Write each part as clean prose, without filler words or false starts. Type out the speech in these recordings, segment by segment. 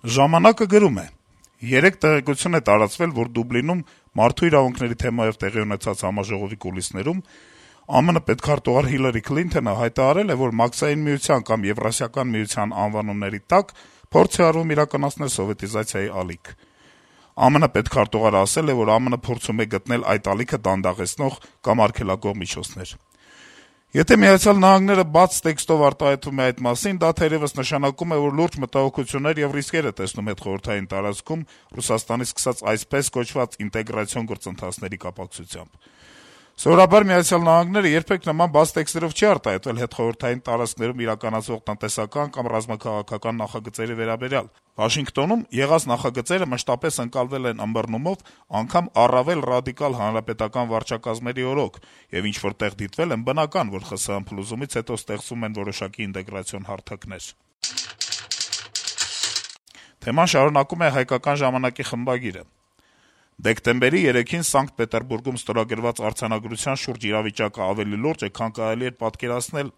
«Ժամանակ»-ը գրում է. - «Երեկ տեղեկություն է տարածվել, որ Դուբլինում մարդու իրավունքների թեմայով տեղի ունեցած համաժողովի կուլիսներում ԱՄՆ պետքարտուղար Հիլարի Քլինթոնը հայտարարել է, որ Մաքսային միության կամ Եվրասիական միության անվանումների տակ փորձ է արվում իրականացնել սովետիզացիայի ալիք: ԱՄՆ պետքարտուղարը ասել է, որ ԱՄՆ փորձում է գտնել այդ ալիքը դանդաղեցնող կամ արգելակող միջոցներ: Եթե Միացյալ Նահանգները բաց տեքստով արտահայտվում է այդ մասին, դա թերեւս նշանակում է, որ լուրջ մտահոգություններ եւ ռիսկեր է տեսնում հետխորհրդային տարածքում Ռուսաստանի սկսած այսպես կոչված ինտեգրացիոն գործընթացների կապակցությամբ: Սովորաբար Միացյալ Նահանգները երբեք նման բաց տեքստերով չի արտահայտվել հետխորհրդային տարածքներում իրականացվող տնտեսական կամ ռազմաքաղաքական նախագծերի վերաբերյալ: Վաշինգտոնում եղած նախագծերը մշտապես ընկալվել են ըմբռնումով, անգամ առավել ռադիկալ հանրապետական վարչակազմերի օրոք, եւ ինչ-որ տեղ դիտվել են, բնական, որ ԽՍՀՄ փլուզումից հետո ստեղծվում են որոշակի ինտեգրացիոն հարթակներ»: Թեման շարունակում է «Հայկական ժամանակ»-ի խմբագիրը. - «Դեկտեմբերի 3-ին Սանկտ Պետերբուրգում ստորագրված արձանագրության շուրջ իրավիճակը ավելի լուրջ է, քան կարելի էր պատկերացնել: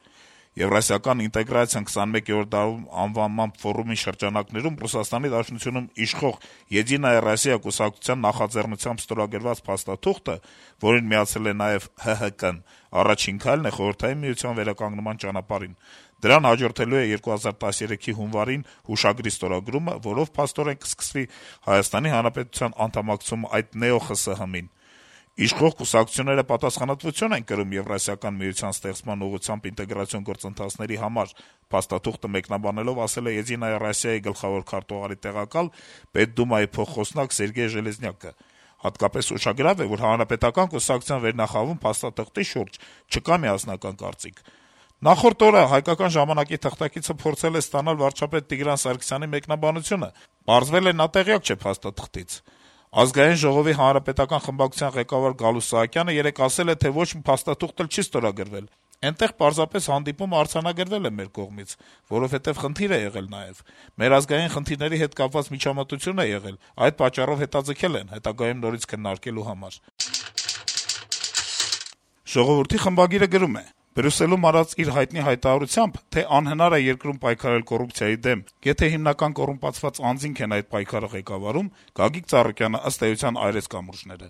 Եվրասիական ինտեգրացիան 21-րդ դարում անվանման ֆորումի շրջանակներում ՌԴ-ում իշխող «Եդինայա Ռոսիա» կուսակցության նախաձեռնությամբ ստորագրված փաստաթուղթը, որին միացել է նաեւ ՀՀԿ-ն, առաջին քայլն է Խորհրդային Միության վերականգնման ճանապարհին: Դրան հաջորդելու է 2013-ի հունվարին հուշագրի ստորագրումը, որով փաստորեն կսկսվի Հայաստանի Հանրապետության անդամակցումը այդ նեո-ԽՍՀՄ-ին: Իշխող կուսակցությունները պատասխանատվություն են կրում Եվրասիական միության ստեղծման ուղղությամբ ինտեգրացիոն գործընթացների համար», փաստաթուղթը մեկնաբանելով ասել է «Եդինայա Ռոսիա»-ի գլխավոր քարտուղարի տեղակալ, Պետդումայի փոխխոսնակ Սերգեյ Ժելեզնյակը: Հատկապես ուշագրավ է, որ Հանրապետական կուսակցության վերնախավում փաստաթղթի շուրջ չկա միասնական կարծիք: Նախորդ օրը «Հայկական ժամանակ»-ի թղթակիցը փորձել է ստանալ վարչապետ Տիգրան Սարգսյանի մեկնաբանությունը: Պարզվել է, նա տեղյակ չէ փաստաթղթից: Ազգային ժողովի հանրապետական խմբակցության ղեկավար Գալուստ Սահակյանը երեկ ասել է, թե ոչ մի փաստաթուղթ էլ չի ստորագրվել: Էնտեղ պարզապես հանդիպումը արձանագրվել է մեր կողմից, որովհետեւ խնդիր է եղել նաեւ: Մեր ազգային խնդիրների հետ կապված միջամտություն է եղել, այդ պատճառով հետաձգել են՝ հետագայում նորից քննարկելու համար»: «Ժողովուրդ»-ի խմբագիրը գրում է. - «Բրյուսելում արած իր հայտնի հայտարարությամբ, թե անհնար է երկրում պայքարել կոռուպցիայի դեմ, եթե հիմնական կոռումպացված անձինք են այդ պայքարը ղեկավարում, Գագիկ Ծառուկյանը ըստ էության այրեց կամուրջները: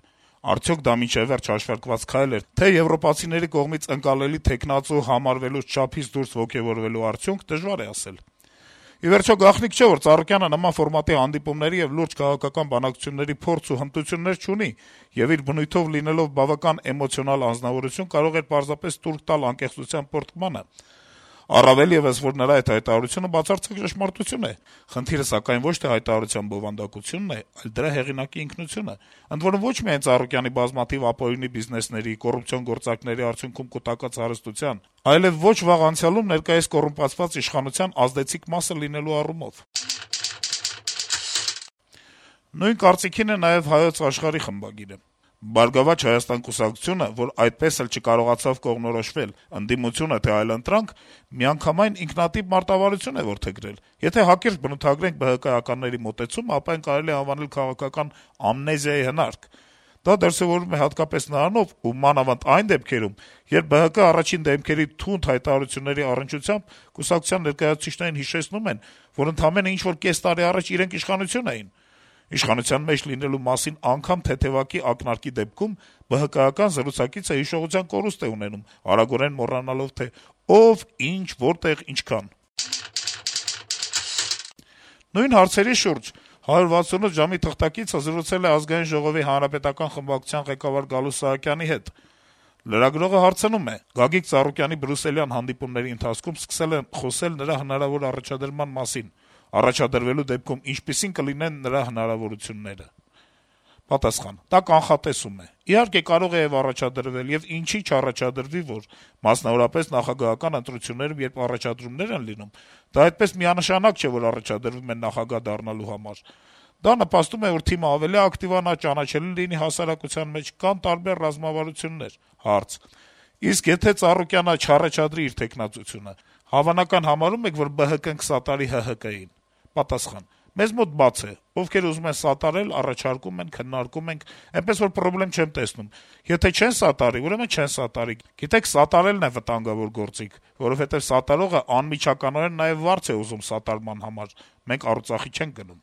Արդյոք դա մինչեւ վերջ հաշվարկված քայլ էր, թե եվրոպացիների կողմից ընկալելի թեկնածու համարվելուց չափից դուրս ոգեւորվելու արդյունք, դժվար է ասել: Ի վերջո, գաղտնիք չէ, որ Ծառուկյանը նման ֆորմատի հանդիպումների եւ լուրջ քաղաքական բանակցությունների փորձ ու հմտություններ չունի, եւ իր բնույթով լինելով բավական էմոցիոնալ անձնավորություն, կարող էր պարզապես տուրք տալ անկեղծության պոռթկմանը: Առավել եւս, որ նրա այդ հայտարարությունը բացարձակ ճշմարտություն է: Խնդիրը, սակայն, ոչ թե հայտարարության բովանդակությունն է, այլ դրա հեղինակի ինքնությունը: Ընդ որում, ոչ միայն Ծառուկյանի բազմաթիվ ապօրինի բիզնեսների, կոռուպցիոն գործարքների արդյունքում կուտակած հարստության, այլեւ ոչ վաղ անցյալում ներկայիս կոռումպացված իշխանության ազդեցիկ մասը լինելու առումով»: Նույն կարծիքին է նաեւ «Հայոց Աշխարհ»-ի խմբագիրը. - «Բարգավաճ Հայաստան կուսակցությունը, որ այդպես էլ չկարողացավ կողմնորոշվել՝ ընդդիմություն է, թե այլընտրանք, միանգամայն ինքնատիպ մարտավարություն է որդեգրել: Եթե հակիրճ բնութագրենք ԲՀԿ-ականների մոտեցումը, ապա այն կարելի է անվանել քաղաքական ամնեզիայի հնարք: Դա դրսեւորվում է հատկապես նրանով, ու մանավանդ այն դեպքերում, երբ ԲՀԿ առաջին դեմքերի թունդ հայտարարությունների առնչությամբ կուսակցության ներկայացուցիչներին հիշեցնում են, որ ընդամենը ինչ-որ կես տարի առաջ իրենք իշխանություն էին: Իշխանության մեջ լինելու մասին անգամ թեթեւակի ակնարկի դեպքում ԲՀԿ-ական զրուցակիցը հիշողության կորուստ է ունենում, արագորեն մոռանալով, թե ով, ինչ, որտեղ, ինչքան»: Նույն հարցերի շուրջ «168 ժամ»-ի թղթակիցը զրուցել է Ազգային ժողովի հանրապետական խմբակցության ղեկավար Գալուստ Սահակյանի հետ: Լրագրողը հարցնում է. - «Գագիկ Ծառուկյանի բրյուսելյան հանդիպումների ընթացքում սկսել են խոսել նրա հնարավոր առաջադրման մասին: Առաջադրվելու դեպքում ինչպիսի՞ն կլինեն նրա հնարավորությունները»: Պատասխան. - «Դա կանխատեսում է: Իհարկե, կարող է եւ առաջադրվել, եւ ինչի՞ չառաջադրվի, որ: Մասնավորապես նախագահական ընտրություններում, երբ առաջադրումներ են լինում, դա այդպես միանշանակ չէ, որ առաջադրվում են նախագահ դառնալու համար: Դա նպաստում է, որ թիմը ավելի ակտիվանա, ճանաչելի լինի հասարակության մեջ, կան տարբեր ռազմավարություններ»: Հարց. - «Իսկ եթե Ծառուկյանը չառաջադրի իր թեկնածությունը, հավանական համարո՞ւմ եք, որ ԲՀԿ-ն կսատարի ՀՀԿ-ին»: Պատասխան. Մեզ մոտ բաց է, ովքեր ուզում են սատարել, առաջարկում են, քննարկում ենք, այնպես որ պրոբլեմ չեմ տեսնում: Եթե չեն սատարի, ուրեմն չեն սատարի: Գիտեք, սատարելն է վտանգավոր գործիք, որովհետեւ սատարողը անմիջականորեն նաեւ վարձ է ուզում սատարման համար: Մենք առուծախի չենք գնում»: